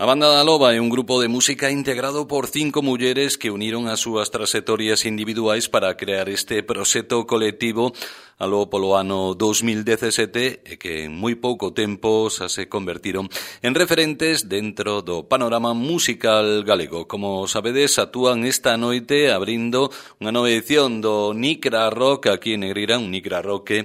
A Banda da Loba é un grupo de música integrado por 5 mulleres que uniron as súas traxectorias individuais para crear este proxecto colectivo aló polo ano 2017 e que en moi pouco tempo xa se convertiron en referentes dentro do panorama musical galego. Como sabedes, actúan esta noite abrindo unha nova edición do Nicra Rock aquí en Negreira, un Nicra Rock que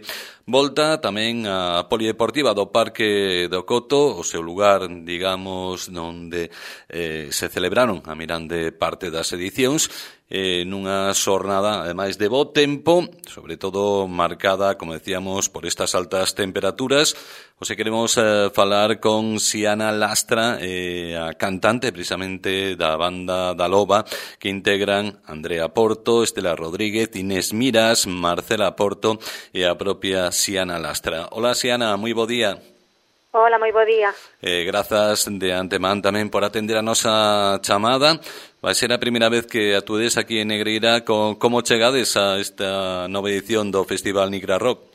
volta tamén a Polideportiva do Parque do Coto, o seu lugar, digamos, onde se celebraron a mirande parte das edicións, nunha xornada, ademais, de bo tempo, sobre todo marcada, como decíamos, por estas altas temperaturas. Hoxe queremos falar con Xiana Lastra, a cantante precisamente da Banda da Loba, que integran Andrea Porto, Estela Rodríguez, Inés Miras, Marcela Porto e a propia Xiana Lastra. Hola, Xiana, moi bo día. Hola, moi bo día. Grazas de antemán tamén por atender a nosa chamada. Vai ser a primeira vez que atuedes aquí en Negreira. Como chegades a esta nova edición do Festival Nicra Rock?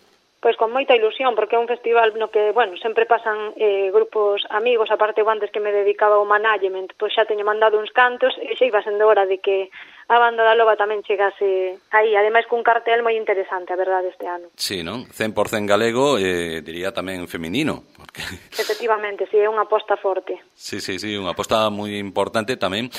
Pois con moita ilusión, porque é un festival no que, bueno, sempre pasan grupos amigos, aparte eu antes que me dedicaba ao management, pois xa teño mandado uns cantos e xa iba sendo hora de que a Banda da Loba tamén chegase aí, ademais cun cartel moi interesante, a verdade, este ano. Sí, non? 100% galego, diría tamén feminino. Porque... Efectivamente, sí, é unha aposta forte. Sí, unha aposta moi importante tamén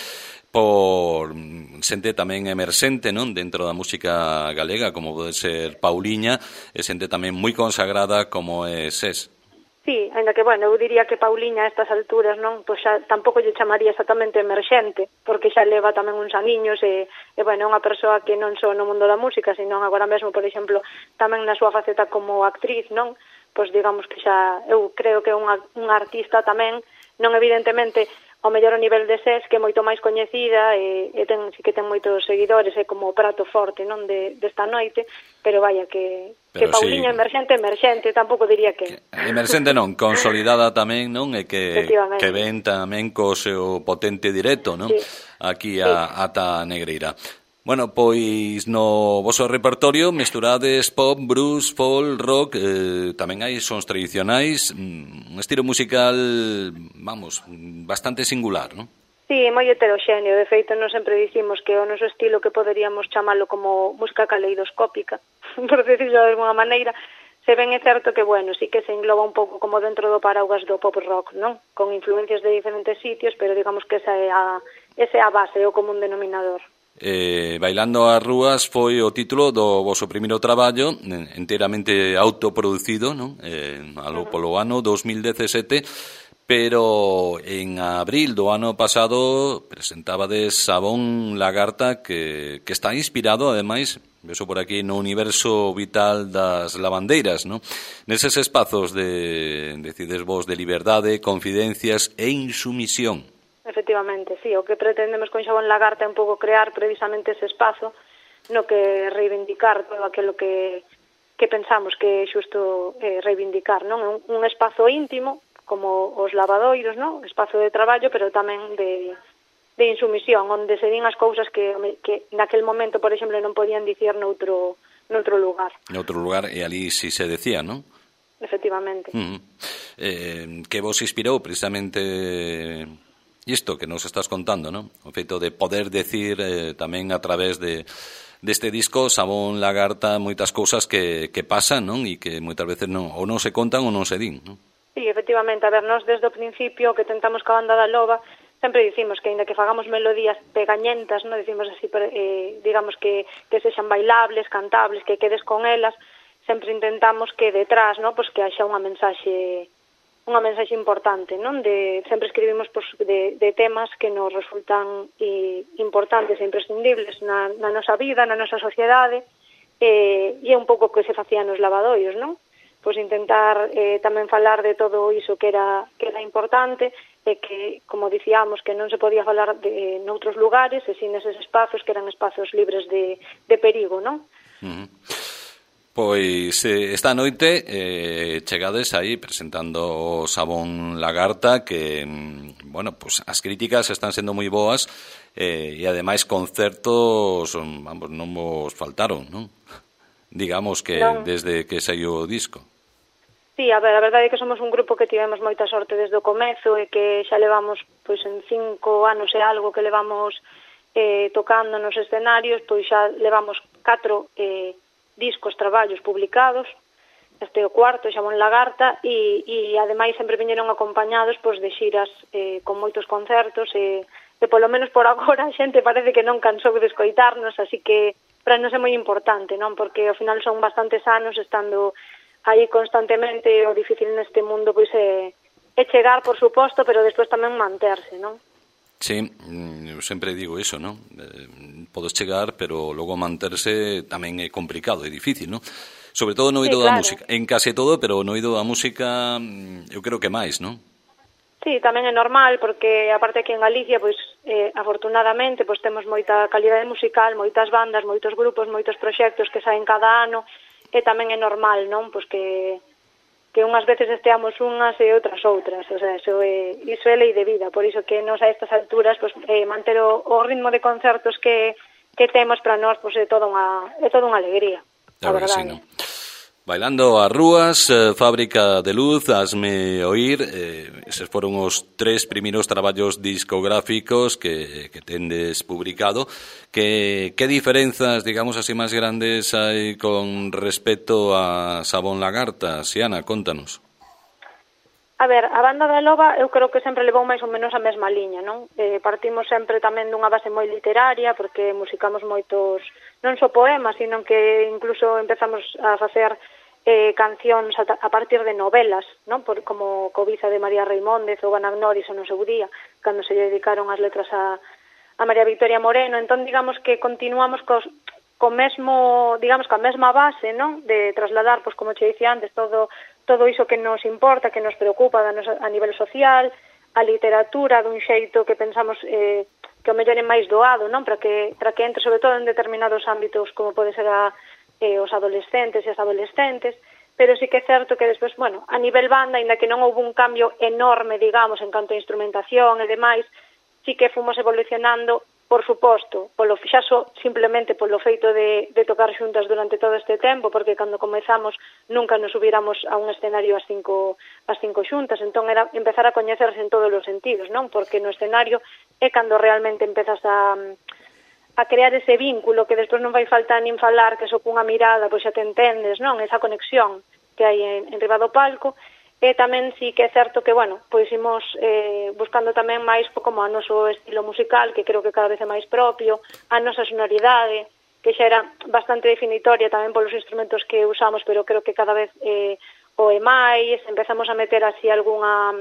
por xente tamén emerxente, non, dentro da música galega, como pode ser Pauliña, e xente tamén moi consagrada como é SES. Sí, ainda que, bueno, eu diría que Pauliña a estas alturas, non, pois xa tampouco lle chamaría exactamente emerxente, porque xa leva tamén uns aniños e bueno, é unha persoa que non só no mundo da música, sino agora mesmo, por exemplo, tamén na súa faceta como actriz, non, pois digamos que xa, eu creo que é unha artista tamén, non evidentemente ao mellor o nivel de SES, que é moito máis coñecida e sí que ten moitos seguidores, é como o prato forte, non, desta noite, pero vaya que Pauliña sí, emerxente, tampouco diría que... Emerxente non, consolidada tamén, non, e que ven tamén co seu potente directo, non, sí, aquí ata Negreira. Bueno, pois no voso repertorio mesturades pop, blues, folk, rock, tamén hai sons tradicionais, un estilo musical, vamos, bastante singular, non? Sí, moi heteroxéneo, de feito non sempre dicimos que o noso estilo que poderíamos chamalo como música caleidoscópica, por decirlo de alguna maneira, se ben é certo que, bueno, sí que se engloba un pouco como dentro do paraugas do pop rock, non? Con influencias de diferentes sitios, pero digamos que esa é a base, é o común denominador. Bailando ás rúas foi o título do voso primeiro traballo, enteramente autoproducido, non? Aló polo ano 2017, pero en abril do ano pasado presentabades Sabón Lagarta, que está inspirado, ademais, vexo por aquí, no universo vital das lavandeiras, non? Neses espazos decides vos de liberdade, confidencias e insumisión. Efectivamente, sí, o que pretendemos con Xabón Lagarta é un pouco crear precisamente ese espazo no que reivindicar todo aquilo que pensamos que é xusto reivindicar, non? É un espazo íntimo, como os lavadoiros, non? Espazo de traballo, pero tamén de insumisión, onde se din as cousas que naquel momento, por exemplo, non podían dicir noutro lugar. Noutro lugar, e ali si se decía, non? Efectivamente. Que vos inspirou precisamente... isto que nos estás contando, non? O feito de poder decir tamén a través deste disco Sabón Lagarta moitas cousas que pasan, non? E que moitas veces non se contan ou non se din, non? Sí, efectivamente, a ver, nós desde o principio que tentamos ca Banda da Loba sempre dicimos que ainda que fagamos melodías pegañentas, non decimos así, digamos que sexan bailables, cantables, que quedes con elas, sempre intentamos que detrás, non, pois que haxa unha mensaxe importante, non? Sempre escribimos de temas que nos resultan importantes e imprescindibles na nosa vida, na nosa sociedade, e é un pouco que se facía nos lavadoiros, non? Pois intentar tamén falar de todo iso que era importante e que, como dicíamos, que non se podía falar noutros lugares e sin eses espazos que eran espazos libres de perigo, non? Pois esta noite chegades aí presentando o Sabón Lagarta que, bueno, pues as críticas están sendo moi boas e ademais concertos, vamos, non vos faltaron, non? Digamos que non. Desde que saiu o disco. Sí, a ver, a verdade é que somos un grupo que tivemos moita sorte desde o comezo e que xa levamos, pois en 5 anos e algo que levamos tocando nos escenarios, pois xa levamos 4 discos, traballos publicados, este é o cuarto, xa en Lagarta, e ademais sempre viñeron acompañados pois, de xiras con moitos concertos, e polo menos por agora a xente parece que non cansou de escoitarnos, así que para nos é moi importante, non? Porque ao final son bastantes anos estando aí constantemente, o difícil neste mundo pois é chegar, por suposto, pero despois tamén manterse, non? Sí, eu sempre digo iso, non? Podes chegar, pero logo manterse tamén é complicado, é difícil, non? Sobre todo no oído da música, en case todo, pero no oído da música eu creo que máis, non? Sí, tamén é normal, porque aparte aquí en Galicia, pois, afortunadamente, pois temos moita calidade musical, moitas bandas, moitos grupos, moitos proxectos que saen cada ano, e tamén é normal, non? Pois que unhas veces esteamos unhas e outras outras, o sea, iso é lei de vida, por iso que nos a estas alturas, pois, manter o ritmo de concertos que temos para nós, pois é toda unha alegría, a verdade. Sí, ¿no? Bailando as rúas, Fábrica de Luz, Hasme Oír, eses foron os 3 primeiros traballos discográficos que tendes publicado. Que diferenzas, digamos así, máis grandes hai con respecto a Sabón Lagarta? Xiana, contanos. A ver, a banda da Loba eu creo que sempre levou máis ou menos a mesma liña, non? Partimos sempre tamén dunha base moi literaria, porque musicamos moitos, non só poemas, sino que incluso empezamos a facer cancións a partir de novelas, non? Como Cobiza de María Reimóndez ou Anagnóriso no seu día, cando se lle dedicaron as letras a María Victoria Moreno. Entón, digamos que continuamos co mesmo, digamos, coa mesma base, non? De trasladar, pois como che dicía antes, todo iso que nos importa, que nos preocupa a nivel social, a literatura dun xeito que pensamos que o mellor é máis doado, non? Para que entre, sobre todo en determinados ámbitos, como pode ser os adolescentes e as adolescentes, pero sí que é certo que despois, bueno, a nivel banda, ainda que non houve un cambio enorme, digamos, en canto a instrumentación e demais, sí que fomos evolucionando, por suposto, simplemente polo feito de tocar xuntas durante todo este tempo, porque cando comezamos nunca nos subíramos a un escenario as cinco xuntas, entón era empezar a coñecerse en todos os sentidos, non? Porque no escenario é cando realmente empezas a crear ese vínculo que despois non vai faltar nin falar, que só cunha mirada pois xa te entendes, non? Esa conexión que hai en riba do palco. E tamén sí que é certo que, bueno, pois imos buscando tamén máis como a noso estilo musical, que creo que cada vez é máis propio, a nosa sonoridade, que xa era bastante definitoria tamén polos instrumentos que usamos, pero creo que cada vez o é máis, empezamos a meter así algunha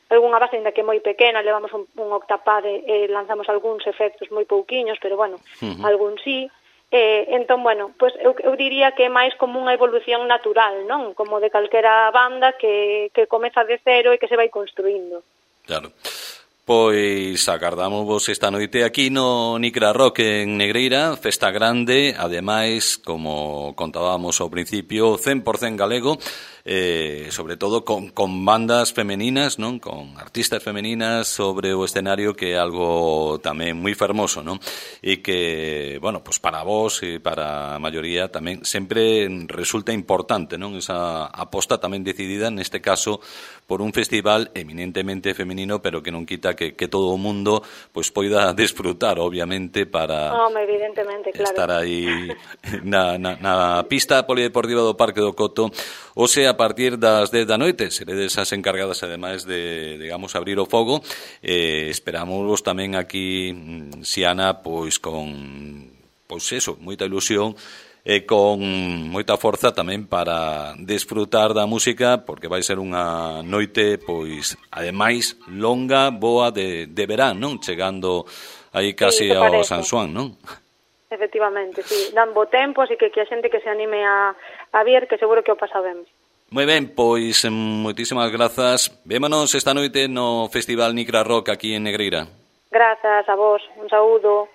base, ainda que moi pequena, levamos un octapad e lanzamos algúns efectos moi pouquiños, pero bueno, algún sí. Entón, bueno, pues eu diría que é máis como unha evolución natural, non? Como de calquera banda que comeza de cero e que se vai construindo. Claro. Pois agardamos esta noite aquí no Nicra Rock en Negreira, festa grande, ademais, como contábamos ao principio, 100% galego, sobre todo con bandas femeninas, non? Con artistas femeninas sobre o escenario, que é algo tamén moi fermoso, non? E que, bueno, pues para vos e para a maioría tamén sempre resulta importante, non? Esa aposta tamén decidida, neste caso, por un festival eminentemente femenino, pero que non quita que todo o mundo pois poida desfrutar, obviamente, para evidentemente, claro, estar aí na pista polideportiva do Parque do Coto, ou sea, a partir das 10 da noite. Seredes as encargadas, ademais de, digamos, abrir o fogo. Esperamos tamén aquí, Xiana, pois con, pois eso, moita ilusión e con moita forza tamén para desfrutar da música, porque vai ser unha noite, pois, ademais, longa, boa de verán, non? Chegando aí casi ao San Xoán, non? Efectivamente, sí, dan bo tempo, así que a xente que se anime a vir, que seguro que o pasa ben. Moi ben, pois, moitísimas grazas. Vémonos esta noite no Festival Nicra Rock aquí en Negreira. Grazas a vos, un saúdo.